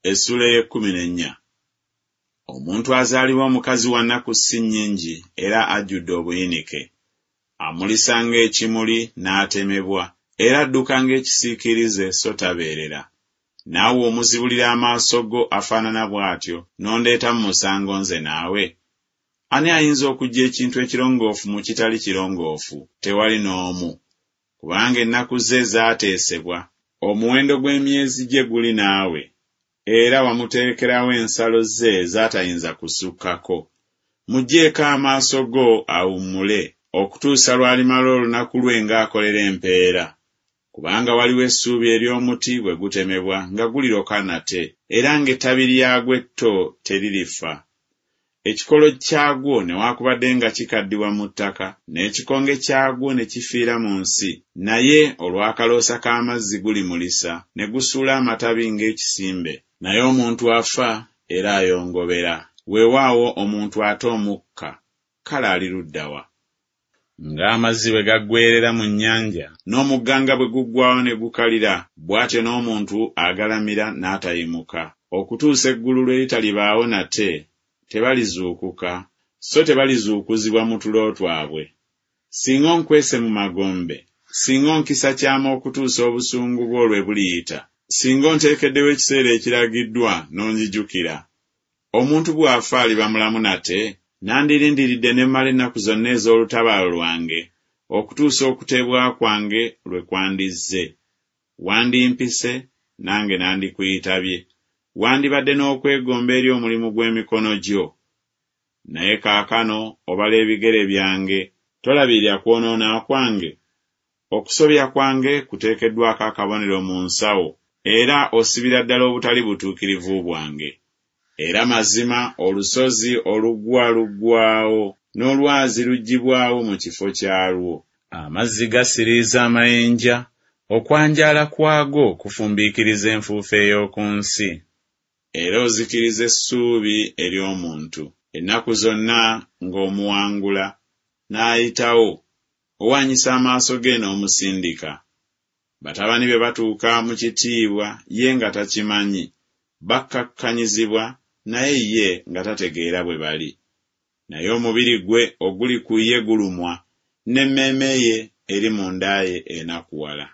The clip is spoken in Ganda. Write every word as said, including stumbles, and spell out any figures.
Essuula ey'ekkumi n'ennya. Omuntu azaalibwa omukazi wa nnaku si nnyingi era ajjudde obuyinike. Amulisa ng'ekimuli n'atemebwa, era adduka ng'ekisiikirize so tabeerera. Naawe omuzibulira amaaso go afaanana bw'atyo, n'ondeeta mu musango nze naawe? Ani ayinza okuggya ekintu ekirongoofu mu kitali kirongoofu? Tewali n'omu. Kubanga ennaku ze zaateesebwa, omuwendo gw'emyezi gye guli naawe, era wamuterekerawo ensalo ze z'atayinza kusukkako. Muggyeeko amaaso go awummule, okutuusa lw'alimala olunaku lwe ng'akolera empeera. Kubanga waliwo essuubi ery'omuti bwe gutemebwa nga guliroka nate, era ng'ettabi lyagwo etto teririfa. Ekikolo kyagwo newaakubadde nga kikaddiwa mu ttaka, n'ekikonge kyagwo ne kifiira mu nsi, naye olw'akaloosa k'amazzi gulimulisa, ne gusuula amatabi ng'ekisimbe. Naye omuntu afa era ayongobera, weewaawo omuntu ata omukka, kale ali ludda wa? Ng'amazzi bwe gaggweerera mu nnyanja, n'omugga nga bwe guggwaawo ne gukalira, bw'atyo n'omuntu agalamira n'atayimuka, okutuusa eggulu lwe litalibaawo nate, tebalizuukuka, so tebalizuukuzibwa mu tulo twabwe. Singa onkwese mu magombe, singa onkisa kyama okutuusa obusungu bwo lwe buliyita, singa onteekeddewo ekiseera ekiragiddwa n'onzijukira. Omuntu bw'afa aliba mulamu nate? Nandirindiridde ne mmala ennaku zonna ez'olutabaalo lwange, okutuusa okuteebwa kwange lwe kwandizze. Wandimpise, nange nandikuyitabye, wandibadde n'okwegomba eri omulimu gw'emikono gyo. Naye kaakano obala ebigere byange, tolabirira kwonoona kwange? Okusobya kwange kuteekeddwako akabonero mu nsawo, era osibira ddala obutali butuukirivu bwange. Era mazima olusozi olugwa luggwaawo, n'olwazi luggyibwawo mu kifo kyalwo. Amazzi gasiriiza amayinja, okwanjaala kwago kufumbiikiriza enfuufu ey'oku nsi. Era ozikiriza essuubi ery'omuntu, ennaku zonna ng'omuwangula, n'ayitawo, owaanyisa amaaso ge n'omusindika. Batabani be batuuka mu kitiibwa ye nga takimanyi, bakkakkanyizibwa naye ye nga tategeera bwe bali. Naye omubiri gwe oguli ku ye gulumwa, n'emmeeme ye eri munda ye enakuwala.